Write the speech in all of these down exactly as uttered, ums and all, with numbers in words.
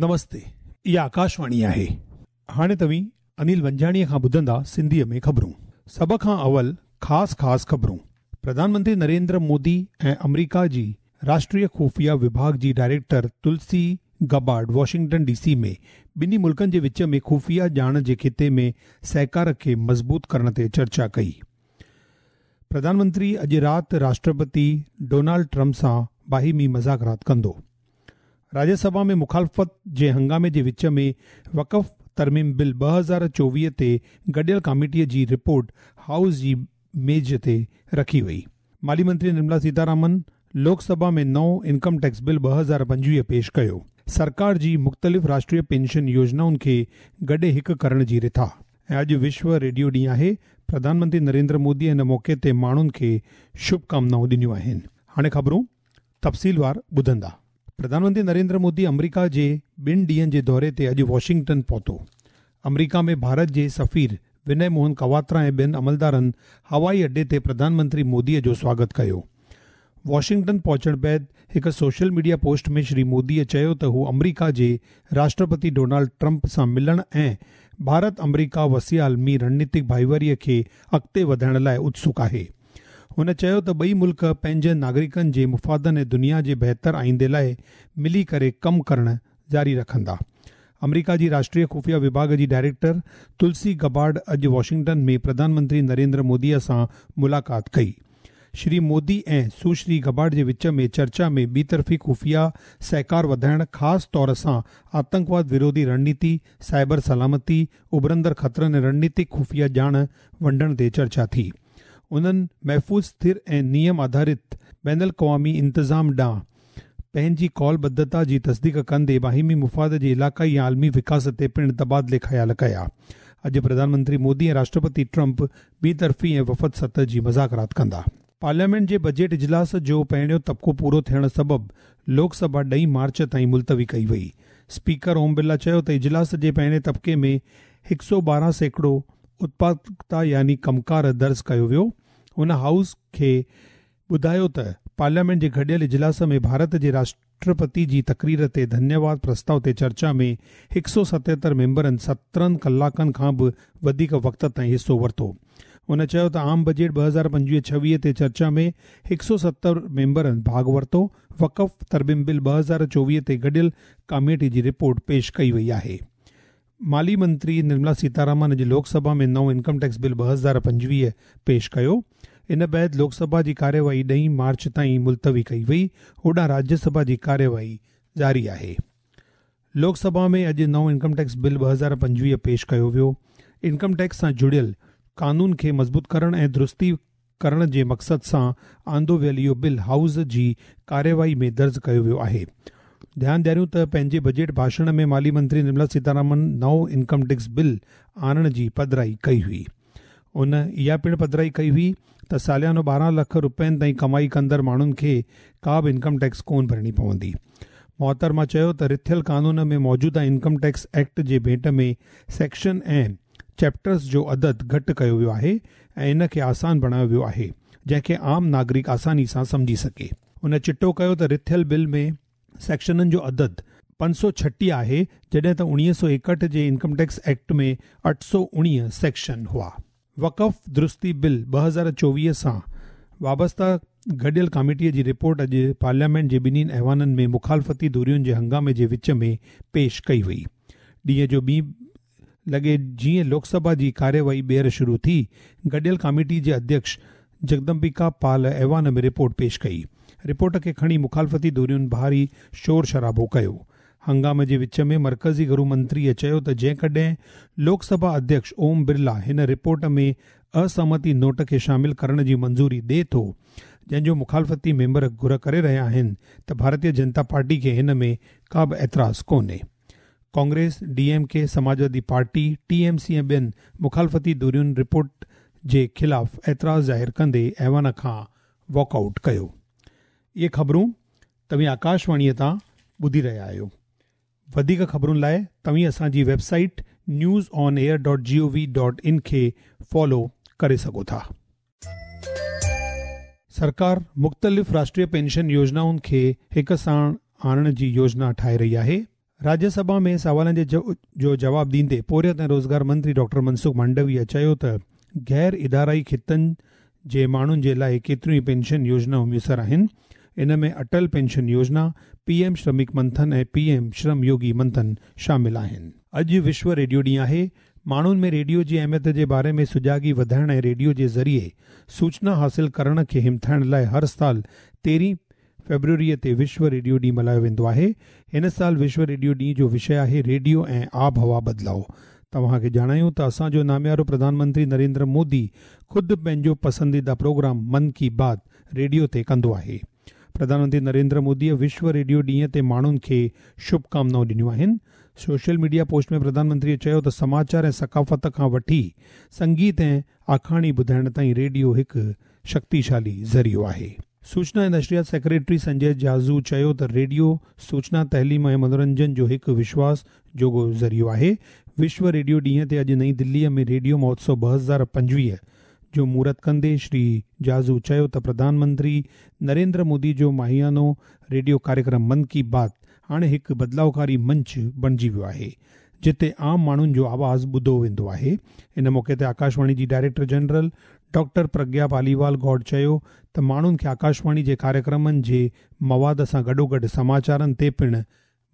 نمستي، اها آڪاشواڻي آهي. هاڻي توهين انيل ونجاڻيءَ کان ٻڌندا سنڌيءَ ۾ خبرون. سڀ کان اول خاص خاص خبرون. پرڌان منتري نريندر مودي ۽ آمريڪا جي راشٽريه خفيه وڀاڳ جي director Tulsi Gabbard Washington D C ۾ ٻنهي ملڪن جي وچ ۾ خفيه ڄاڻ جي خطي ۾ سهڪار کي مضبوط ڪرڻ تي چرچا ڪئي. پرڌان منتري اڄ رات راشٽرپتي ڊونالڊ ٽرمپ سان باهمي مذاڪرات ڪندو. راجيه سڀا ۾ مخالفت جي هنگامي جي وچ ۾ وقف ترميم بل ٻه هزار چوويهه تي گڏيل ڪاميٽيءَ جي رپورٽ هائوس جي ميز تي رکي وئي. مالي منتري نرملا سيتارامن لوڪ سڀا ۾ نئون انڪم ٽيڪس بل ٻه هزار پنجويهه پيش ڪيو. سرڪار جي مختلف راشٽريه پينشن يوجنائن کي گڏي هڪ ڪرڻ جي رٿا. ۽ اڄ وشو ريڊيو ڏينهن آهي. پرڌان منتري نريندر مودي هن موقعي تي ماڻهن کي شڀڪامنائون ڏنيون آهن. هاڻي خبرون تفصيلوار ٻڌندا. پرڌان منتري نريندر مودي آمريڪا جي ٻن ڏينهن جي دوري تي اڄ واشنگٽن پهتو. آمريڪا ۾ ڀارت جي سفير وني موهن ڪواترا ۽ ٻين عملدارن هوائي اڏي تي پرڌان منتري موديءَ جو سواگت ڪيو. واشنگٽن پهچڻ بعد هڪ سوشل ميڊيا پوسٽ ۾ شري موديءَ چيو ته هو آمريڪا جي راشٽرپتي ڊونالڊ ٽرمپ سان ملڻ ۽ ڀارت آمريڪا وسيع عالمي رڻنيتڪ ڀائيواريءَ کي اڳتي وڌائڻ لاءِ اتسڪ آهي. هن چيو ته ٻئي ملڪ پنهنجن ناگرڪن جي مفادن ۽ دنيا جي بهتر آئيندي لاءِ ملي ڪري ڪم ڪرڻ جاري رکندا. آمريڪا جي راشٽريه خفيه وڀاڳ جي ڊائريڪٽر تلسي گبارڊ اڄ واشنگٽن ۾ پرڌان منتري نريندر موديءَ سان ملاقات ڪئي. شري مودي ۽ سشري گبارڊ جي وچ ۾ چرچا ۾ ٻطرفي خفيه سهڪار وڌائڻ، خاص طور سان آتنڪواد وروڌي رڻنيتي، سائبر سلامتي، اڀرندڙ خطرن ۽ رڻنيتڪ خفيه ڄاڻ ونڊڻ تي چرچا ٿي. انهن محفوظ، اسٿر ۽ نيم آڌارت بين الاقوامي انتظام ڏانهن پنهنجي ڪالبڌتا جي تصديق ڪندي باهمي مفاد جي علائقائي ۽ عالمي وڪاس تي پڻ تبادلي خيال ڪيا. اڄ پرڌان منتري مودي ۽ راشٽرپتي ٽرمپ ٻطرفي ۽ وفد سطح جي مذاڪرات ڪندا. پارليامينٽ جي بجيٽ اجلاس جو پهريون طبقو پورو ٿيڻ سبب لوڪ سڀا ڏهين مارچ تائين ملتوي ڪئي وئي. اسپيڪر اوم برلا چيو ته اجلاس جي پهرين طبقي ۾ هڪ سؤ ٻارهن سيڪڙو اتپادڪتا يعني ڪمڪار درج ڪيو ويو. هن هائوس کي ٻڌايو ته پارليامينٽ جي گڏيل اجلاس ۾ ڀارت جي راشٽرپتي جي تقرير تي ڌنيواد پرستاو تي چرچا ۾ هڪ سؤ ستهتر ميمبرن سترهن ڪلاڪن کان به وڌيڪ وقت تائين حصو ورتو. هن چيو ته عام بجيٽ ٻه هزار پنجويهه ڇويهه تي چرچا ۾ هڪ سؤ ستر ميمبرن ڀاڳ ورتو. وقف ترميم بل ٻه هزار چوويهه تي گڏيل ڪاميٽي جي رپورٽ پيش ڪئي وئي آهي. مالي منتري نرملا سيتارامن اڄ لوڪ سڀا ۾ نئون انڪم ٽيڪس بل ٻه هزار پنجويهه پيش ڪيو. ان بعد لوڪ سڀا جي ڪاريواهي ڏهين مارچ تائين ملتوي ڪئي وئي. هوڏانهن راجيه سڀا جي ڪاريواهي جاري آهي. لوڪ سڀا ۾ اڄ نئون انڪم ٽيڪس بل ٻه هزار پنجويهه پيش ڪيو ويو. انڪم ٽيڪس سان جڙيل قانون کي مضبوط ڪرڻ ۽ درستي ڪرڻ جي مقصد سان آندو ويل اهو بل هائوس جي ڪاريواهي ۾ درج ڪيو ويو آهي. ڌيان ڏياريون ته پنهنجي بجيٽ ڀاشڻ ۾ مالي منتري نرملا سيتارامن نئون انڪم ٽيڪس بل آڻڻ جي پڌرائي ڪئي هئي. ان اها پڻ پڌرائي ڪئي هئي ته ساليانو ٻارهن لک رپين تائين ڪمائي ڪندڙ ماڻهن کي ڪا به انڪم ٽيڪس ڪونه ڀرڻي پوندي. محترمه چيو ته رٿيل قانون ۾ موجوده انڪم ٽيڪس ايڪٽ جي ڀيٽ ۾ سيڪشن ۽ چيپٽرز جو عدد گهٽ ڪيو ويو آهي ۽ ان کي آسان بڻايو ويو آهي، جنهن کي عام ناگرڪ آساني سان سمجهي سگهي. هن چٽو ڪيو ته رٿيل بل ۾ سيڪشنن جو عدد پنج سؤ ڇٽيهه آهي، جڏهن ته اڻويهه سؤ ايڪهٺ جي انڪم ٽيڪس ايڪٽ ۾ اٺ سؤ اڻويهه سيڪشن هئا. وقف درستي بل ٻه هزار چوويهه سان وابسته گڏيل ڪاميٽيءَ جي رپورٽ اڄ پارليامينٽ جي ٻنهي ايوانن ۾ مخالفتي ڌرين جي هنگامي جي وچ ۾ پيش ڪئي وئي. ڏينهن جو ٻي لڳي جيئن لوڪ سڀا جي ڪاريواهي ٻيهر شروع ٿي، گڏيل ڪاميٽي جي اڌيڪش جگدمبڪا پال ايوان ۾ رپورٽ پيش ڪئي. رپورٽ کي کڻي مخالفتي ڌرين ڀاري شور شرابو ڪيو. هنگامي جي وچ ۾ مرڪزي گرهه منتريءَ چيو ته جيڪڏهن لوڪ سڀا اڌيڪش اوم برلا هن رپورٽ ۾ اسهمتي نوٽ کي شامل ڪرڻ جي منظوري ڏئي ٿو، جنهن جو مخالفتي ميمبر گهر ڪري رهيا آهن، ته ڀارتيه جنتا پارٽي کي هن ۾ ڪا به اعتراض ڪونهي. Congress, D M K, Samajwadi party, T M C ۽ ٻين مخالفتي ڌرين رپورٽ جي خلاف اعتراض ظاهر ڪندي ايوان کان واڪ آئوٽ ڪيو. اهي خبرون توهين آڪاشواڻيءَ تان ٻڌي رهيا آهيو. وڌيڪ خبرن لاءِ توهين اسان جي website news on air dot G O V dot in کي فالو ڪري سگهو ٿا. سرڪار مختلف راشٽريه پينشن يوجنائن کي هڪ ساڻ آڻڻ جي يوجنا ٺاهي رهي آهي. راجيه سڀا ۾ سوالن جو جواب ڏيندي پورهيت ۽ روزگار منتري ڊاڪٽر منسک مانڊويه چيو ته غير ادارائي خطن جي ماڻهن جي لاءِ ڪيتريون ئي پينشن يوجنائون ميسر آهن. ان ۾ اٽل پينشن يوجنا، پي ايم شرمڪ منٿن ۽ پي ايم شرم يوگي منٿن شامل آهن. اڄ وشو ريڊيو ڏينهن آهي. ماڻهن ۾ ريڊيو جي اهميت جي باري ۾ سجاڳي وڌائڻ ۽ ريڊيو جي ذريعي سوچنا حاصل ڪرڻ کي همٿائڻ لاءِ هر سال تيرهين فيبروريءَ تي وشو ريڊيو ڏينهن ملهايو ويندو آهي. هن سال وشو ريڊيو ڏينهن جو وشي آهي ريڊيو ۽ آبهوا بدلاءُ. توهان کي ڄاڻايون ته اسان جو ناميارو پرڌان منتري نريندر مودي خود پنهنجو پسنديده پروگرام من ڪي بات ريڊيو تي ڪندو آهي. پرڌان منتري نريندر موديءَ وشو ريڊيو ڏينهن تي ماڻهن کي شڀڪامنائون ڏنيون آهن. سوشل ميڊيا پوسٽ ۾ پرڌان منتريءَ چيو ته سماچار ۽ ثقافت کان وٺي سنگيت ۽ آکاڻي ٻڌائڻ تائين ريڊيو هڪ شڪتيشالي ذريعو آهي. سوچنا ۽ نشريات سيڪريٽري سنجي جاجو چيو ته ريڊيو سوچنا، تعليم ۽ منورنجن جو هڪ وشواس جوڳو ذريعو آهي. وشو ريڊيو ڏينهن تي اڄ نئين دليءَ ۾ ريڊيو مهوتسو ٻه هزار پنجويهه جو مهورت ڪندي شري جاجو چيو ته پرڌان منتري نريندر مودي جو ماهيانو ريڊيو ڪاريڪرم من ڪي بات هاڻي هڪ بدلاوڪاري منچ بڻجي ويو آهي، جتي عام ماڻهن جو آواز ٻڌو ويندو آهي. ان موقعي تي آڪاشواڻي جي director general doctor Pragya Paliwal Gaur چيو ته ماڻهن کي آڪاشواڻي جي ڪاريڪرمن جي مواد سان گڏوگڏ سماچارن تي پڻ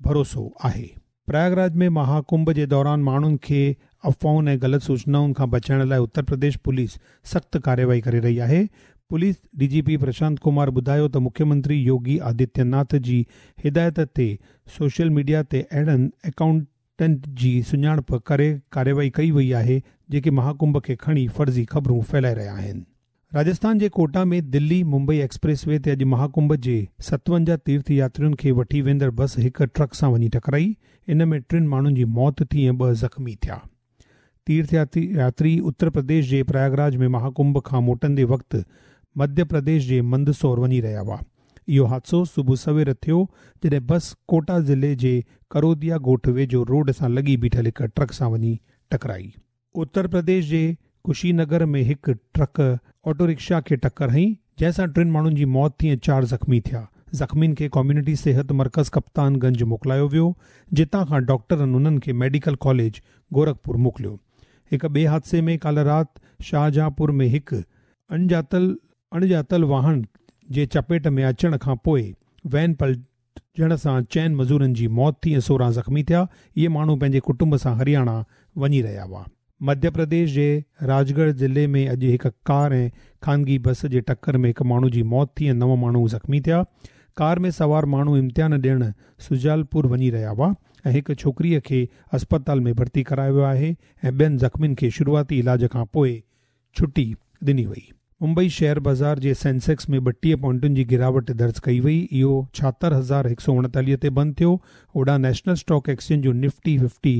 ڀروسو آهي. پرياگراج ۾ مهاڪنڀ جي دوران ماڻهن کي افواهن ۽ غلط سوچنائن کان بچائڻ لاءِ اتر پرديش پوليس سخت ڪارروائي ڪري رهي آهي. Police D G P Prashant Kumar ٻڌايو ته مکيه منتري يوگي آدتيه ناٿ جي هدايت تي سوشل ميڊيا تي اهڙن اڪائونٽن جي سڃاڻپ ڪري ڪارروائي ڪئي وئي آهي جيڪي مهاڪنڀ کي کڻي فرضي خبرون ڦهلائي رهيا آهن. راجسٿان جي ڪوٽا ۾ دلي ممبئي ايڪسپريس وي تي اڄ مهاڪنڀ جي ستونجاهه تيرٿ ياترين کي وٺي ويندڙ بس هڪ ٽرڪ سان وڃي ٽڪرائي. ان ۾ ٽن ماڻهن جي موت ٿي ۽ ٻه زخمي ٿيا. تيرٿ ياتري اتر پرديش جي پرياگراج ۾ مهاڪنڀ کان موٽندي وقت مڌيه پرديش جي مندسور وڃي رهيا هئا. اهو حادثو صبح سوير ٿيو جڏهن بس ڪوٽا ضلعي جي ڪروديا ڳوٺ ويجهو روڊ سان لڳي بيٺل هڪ ٽرڪ سان وڃي ٽڪرائي. اتر پرديش جي ڪشي نگر ۾ هڪ ٽرڪ آٽو رڪشا کي ٽڪر هنئي، جنهن سان ٽن ماڻهن جي موت ٿي ۽ چار زخمي ٿيا. زخمين کي ڪميونٽي صحت مرڪز ڪپتان گنج موڪلايو ويو، جتان کان ڊاڪٽرن انهن کي ميڊيڪل ڪاليج گورکپور موڪليو. هڪ ٻئي حادثي ۾ ڪالهه رات شاهجهانپور ۾ هڪ اڻڄاتل اڻڄاتل واهن جي چپيٽ ۾ اچڻ کان پوءِ وين پلٽجڻ سان چئن مزورن جي موت ٿي ۽ سورهن زخمي ٿيا. اهي ماڻهو پنهنجي ڪٽنب سان هرياڻا وڃي رهيا هئا. مڌيه پرديش جي راجڳڙهه ضلعي ۾ اڄ هڪ ڪار ۽ خانگي بس جي ٽڪر ۾ هڪ ماڻهو جي موت ٿي ۽ نو ماڻهو زخمي ٿيا. ڪار ۾ سوار ماڻهو امتحان ڏيڻ سجالپور وڃي رهيا هئا ۽ هڪ ڇوڪريءَ کي اسپتال ۾ ڀرتي ڪرايو ويو آهي ۽ ٻين زخمين کي شروعاتي علاج کان پوءِ ڇٽي ڏني وئي. ممبئي شيئر بازار جي سينسيڪس ۾ ٻٽيهه پوائنٽن جي گراوٽ درج ڪئي وئي. اهو ڇاهتر هزار هڪ سؤ اڻيتاليهه تي بند ٿيو. هوڏانهن نيشنل اسٽاڪ ايڪسچينج جو نفٽي ففٽي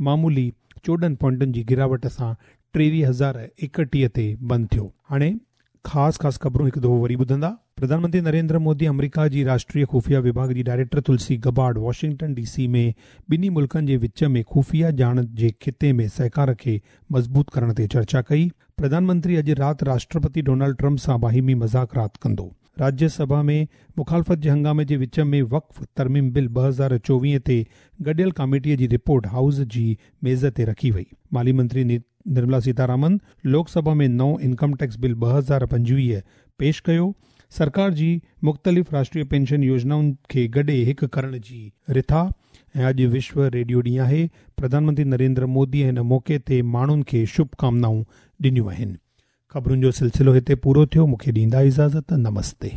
معمولي چوڏهن پوائنٽن جي گراوٽ سان ٽيويهه هزار ايڪٽيهه تي بند ٿيو. هاڻي خاص خاص خبرون هڪ دفعو وري ٻڌندا. پرڌان منتري نريندر مودي آمريڪا جي راشٽريه خفيه وڀاڳ جي director Tulsi Gabbard Washington D C ۾ ٻنهي ملڪن جي وچ ۾ خفيه ڄاڻ جي خطي ۾ سهڪار کي مضبوط ڪرڻ تي چرچا ڪئي. پرڌان منتري اڄ رات راشٽرپتي ڊونلڊ ٽرمپ سان باهمي مذاڪرات ڪندو. راجيه سڀا ۾ مخالفت جي هنگامي جي وچ ۾ وقف ترميم بل ٻه هزار چوويهه تي گڏيل ڪاميٽيءَ جي رپورٽ هائوس جي ميز تي رکي وئي. مالي منتري نرملا سيتارامن لوڪ سڀا ۾ نئون انڪم ٽيڪس بل ٻه هزار پنجويهه پيش ڪيو. سرڪار جي مختلف راشٽريه پينشن يوجنائن کي گڏي هڪ ڪرڻ جي رٿا. ۽ اڄ وشو ريڊيو ڏينهن آهي. پرڌان منتري نريندر مودي هن موقعي تي ماڻهن کي شڀڪامنائون ڏنيون آهن. خبرن جو سلسلو هتي پورو ٿيو. مون کي ڏيندا اجازت. نمستي.